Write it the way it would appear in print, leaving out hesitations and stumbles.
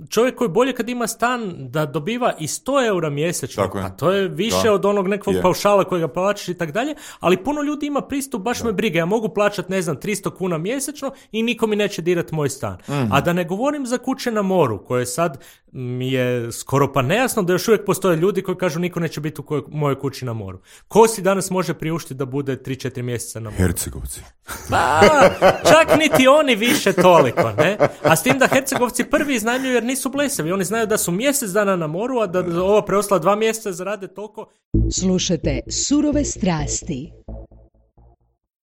čovjek koji bolje kad ima stan da dobiva i 100 eura mjesečno, a to je više od onog nekog paušala kojega plaćaš i tak dalje, ali puno ljudi ima pristup, baš me briga, ja mogu plaćati, 300 kuna mjesečno i niko mi neće dirati moj stan. A da ne govorim za kuće na moru, koje sad mi je skoro pa nejasno da još uvijek postoje ljudi koji kažu niko neće biti u mojoj kući na moru. Ko si danas može priuštiti da bude 3-4 mjeseca na moru? Hercegovci. Pa, čak niti oni više toliko, ne? A s tim da Hercegovci prvi iznajmljuju jer nisu blesavi. Oni znaju da su mjesec dana na moru, a da ova preostala 2 mjeseca zarade toliko. Slušajte Surove strasti.